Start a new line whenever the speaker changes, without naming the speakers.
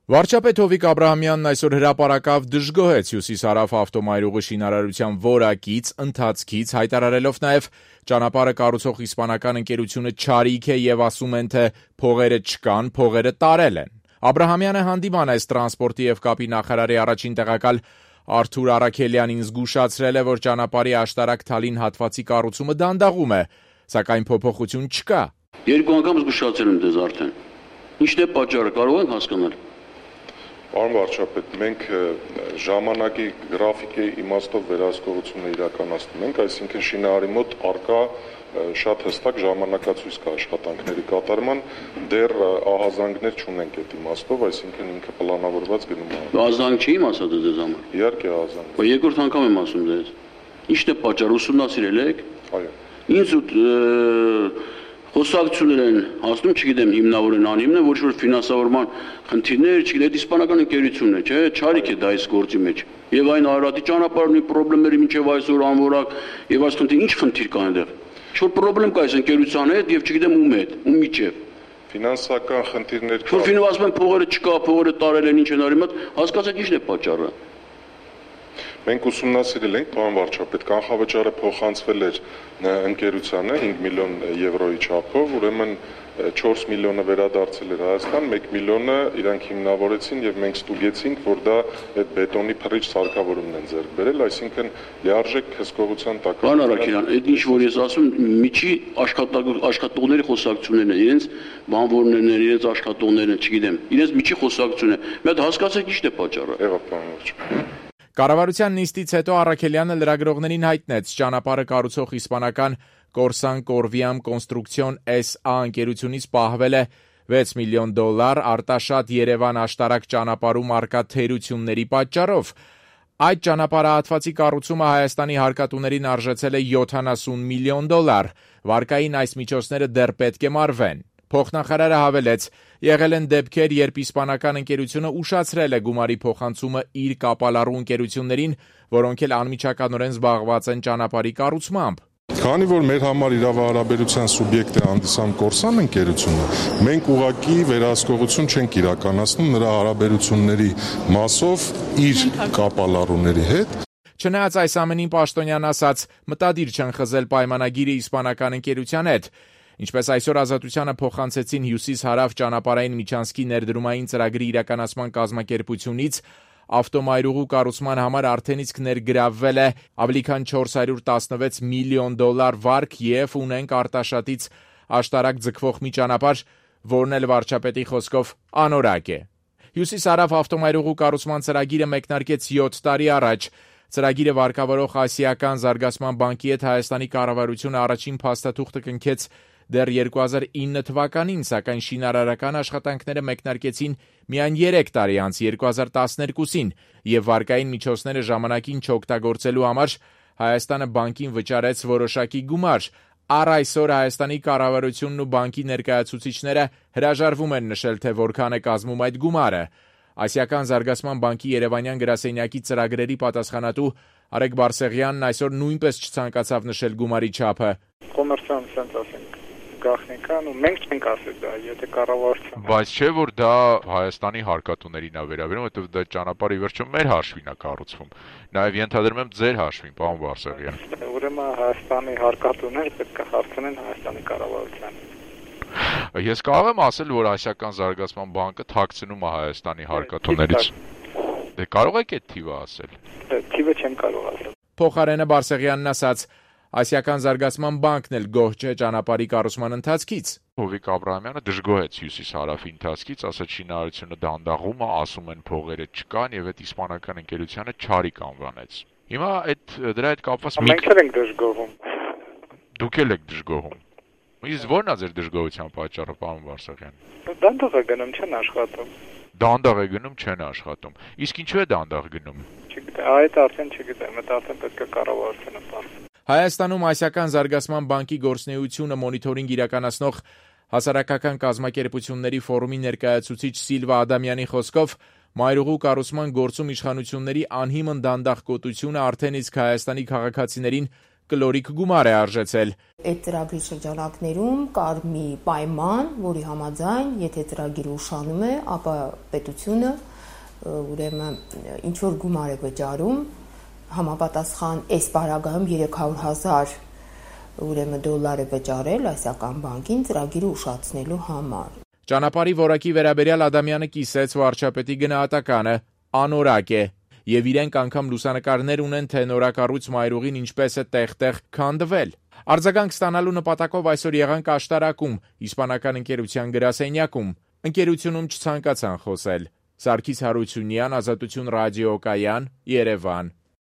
Վարչապետ Հովիկ Աբրահամյանն այսօր հրապարակավ դժգոհեց Հյուսիսարավ ավտոմայրուղի շինարարության որակից, ընթացքից, հայտարարելով նաև ճանապարհը կառուցող իսպանական ընկերությունը չարիք է եւ ասում են, թե փողերը չկան, փողերը տարել են։ Աբրահամյանը հանդիման այս տրանսպորտի եւ կապի նախարարի առաջին տեղակալ Արթուր Արաքելյանին զգուշացրել է, որ ճանապարհի աշտարակ-Թալին հատվածի կառուցումը դանդաղում է, սակայն փոփոխություն չկա։
Երկու անգամ զգուշացել եմ դες արդեն։ Ինչն է պատճառը, կարող եք հասկանալ։
Պարոն վարչապետ, մենք ժամանակի գրաֆիկի իմաստով վերահսկողությունը իրականացնում ենք, այսինքն շինարարի մոտ առկա շատ հստակ ժամանակացույց կա աշխատանքների կատարման, դեռ ահազանգներ չունենք այդ իմաստով, այսինքն ինքը պլանավորված գնում է։
Ահազանգ չի իմացա դες համար։
Իհարկե ահազանգ։
Բայց երկրորդ անգամ եմ ասում դες։ Ինչն է պատճառը, ուսումնասիրել եք։
Այո։
Ինձ խոսակցություններ են հասնում, չգիտեմ, հիմնավոր են, անհիմն են, ոչ որ ֆինանսավորման խնդիրներ, չգիտեմ, իսպանական ընկերությունն է, չէ՞, չարիք է դա այս գործի մեջ։ Եվ այն Արարատի ճանապարհի խնդիրները մինչև այսօր անորակ, եւ այս խնդիր, ինչ խնդիր կա այնտեղ։ Ինչ-որ խնդրեմ կա այս ընկերության հետ եւ չգիտեմ ում հետ, ում միջև։
Ֆինանսական խնդիրներ կա։
Որ ֆինանսական փողերը չկա, փողերը տարել են, ինչ են արել, հասկացեք ինչն է պատճառը։
Մենք ուսումնասիրել ենք, պարոն վարչապետ, կանխավճարը փոխանցվել էր ընկերությանը 5 միլիոն եվրոյի չափով, ուրեմն 4 միլիոնը վերադարձել էր Հայաստան, 1 միլիոնը իրանք հիմնավորեցին եւ մենք ստուգեցինք, որ դա այդ բետոնի փռիչ սարքավորումն են ձեռք բերել, այսինքն լիարժեք հսկողության տակ։
Պարոն Արաքելյան, այդ ինչ որ ես ասում, միջի աշխատողների խոսակցություններն են, իրենց բանվորներն են, իրենց աշխատողներն են, չգիտեմ, իրենց միջի խոսակցությունն է։ Մի հատ հասկացեք ինչն է պատճառը։
Եղավ, պարոն վարչապետ։
Կառավարության նիստից հետո Առաքելյանը լրագրողներին հայտնեց ճանապարհը կառուցող իսպանական Կորսան Կորվիամ Կոնստրուկցիոն S.A. ընկերությունից պահվել է $6 միլիոն արտաշատ Երևան աշտարակ ճանապարհում առկա թերությունների պատճառով։ Այդ ճանապարհահատվածի կառուցումը Հայաստանի հարկատուներին արժեցել է $70 միլիոն։ Վարկային այս միջոցները դեռ պետք է մարվեն։ Փոխնախարարը հավելեց, եղել են դեպքեր, երբ իսպանական ընկերությունը ուշացրել է գումարի փոխանցումը իր կապալառու ընկերություններին, որոնք էլ անմիջականորեն զբաղված են ճանապարհի կառուցմամբ։
Քանի որ մեր համար իրավահարաբերության սուբյեկտ է հանդիսանում Կորսան ընկերությունը, մենք ուղղակի վերահսկողություն չենք իրականացնում նրա հարաբերությունների մասով իր կապալառուների հետ։
Չնայած այս ամենին Պաշտոնյան ասաց, մտադիր չեն խզել պայմանագիրը իսպանական ընկերության հետ։ Ինչպես այսօր Ազատությանը փոխանցեցին Հյուսիս-Հարավ ճանապարհային միջանցքի ներդրումային ծրագրի իրականացման կազմակերպությունից, ավտոմայրուղու կառուցման համար արդեն իսկ ներգրավվել է ավելի քան $416 միլիոն վարկ եւ ունենք արտաշատից աշտարակ ձգվող մի ճանապարհ, որն էլ վարչապետի խոսքով անորակ է։ Հյուսիս-Հարավ ավտոմայրուղու կառուցման ծրագիրը մեկնարկեց 7 տարի առաջ։ Ծրագիրը վարկավորող Ասիական զարգացման բանկի հետ Հայաստանի կառավարությունը առաջին փաստաթուղթը կնքեց դեռ 2009 թվականին, սակայն շինարարական աշխատանքները մեկնարկեցին միայն 3 տարի անց 2012-ին եւ վարկային միջոցները ժամանակին չօգտագործելու համար Հայաստանը բանկին վճարեց որոշակի գումար։ Առ այսօր Հայաստանի կառավարությունն ու բանկի ներկայացուցիչները հրաժարվում են նշել, թե որքան է կազմում այդ գումարը։ Ասիական զարգացման բանկի Երևանյան գրասենյակի ծրագրերի պատասխանատու Արեգ Բարսեղյանն այսօր նույնպես չցանկացավ նշել գումարի չափը։
Կոմերցիոն sense ասենք գաղտնիքան ու մենք չենք ասել դա, եթե կառավարության։
Բայց չէ որ դա Հայաստանի հարկատուներին է վերաբերում, որովհետև դա ճանապարհի վերջում մեր հաշվին է կառուցվում։ Նաև ենթադրում եմ ձեր հաշվին, պարոն Բարսեղյան։
Ուրեմն Հայաստանի հարկատուները պետք է հարցնեն Հայաստանի կառավարությանից։
Ես կարող եմ ասել, որ Ասիական զարգացման բանկը թաքցնում է Հայաստանի հարկատուներից։ Դե կարող եք այդ թիվը ասել։
Թիվը չեմ կարող ասել։
Փոխարենը Բարսեղյանն ասաց, Ասիական զարգացման բանկն էլ գոհ չէ ճանապարհի կառուցման ընթացքից։
Հովիկ Աբրահամյանը դժգոհեց Հյուսիս-Հարավի ընթացքից, ասաց շինարարությունը դանդաղում է, ասում են փողերը չկան եւ այդ իսպանական ընկերությունը չարիք անվանեց։ Հիմա դրա հետ կապված
մենք ենք դժգոհում։
Դուք եք դժգոհում։ Իսկ ո՞րն է ձեր դժգոհության պատճառը, պարոն Բարսեղյան։
Դանդաղ է գնում, չեն աշխատում։
Դանդաղ է գնում, չեն աշխատում։ Իսկ ինչու է դանդաղ գնում։
Չգիտեմ, այդ արդեն չգիտեմ, դա արդեն պետք է կառավարությունը ասի։
Հայաստանում Ասիական զարգացման բանկի գործունեությունը մոնիթորինգ իրականացնող հասարակական կազմակերպությունների ֆորումի ներկայացուցիչ Սիլվա Ադամյանի խոսքով մայրուղու կառուցման գործում իշխանությունների անհիմն դանդաղկոտությունը արդեն իսկ Հայաստանի քաղաքացիներին կլորիկ գումար է արժեցել։
Այդ ծրագրի շրջանակներում կար մի պայման, որի համաձայն, եթե ծրագիրը ուշանում է, ապա պետությունը ուրեմն ինչ որ գումար է վճարում, համապատասխան այս պարագայում 300,000 ուրեմն դոլար է վճարել այսական բանկին ծրագիրը ուշացնելու համար։
Ճանապարհի որակի վերաբերյալ Ադամյանը կիսեց վարչապետի գնահատականը, անորակ է, եւ իրենք անգամ լուսանկարներ ունեն, թե նորակառույց մայրուղին ինչպես է տեղ-տեղ քանդվել։ Արձագանք ստանալու նպատակով այսօր եղանք աշտարակում, իսպանական ընկերության գրասենյակում։ Ընկերությունում չցանկացան խոսել։ Սարգիս Հարությունյան, Ազատություն ռադիոկայան, Երևան։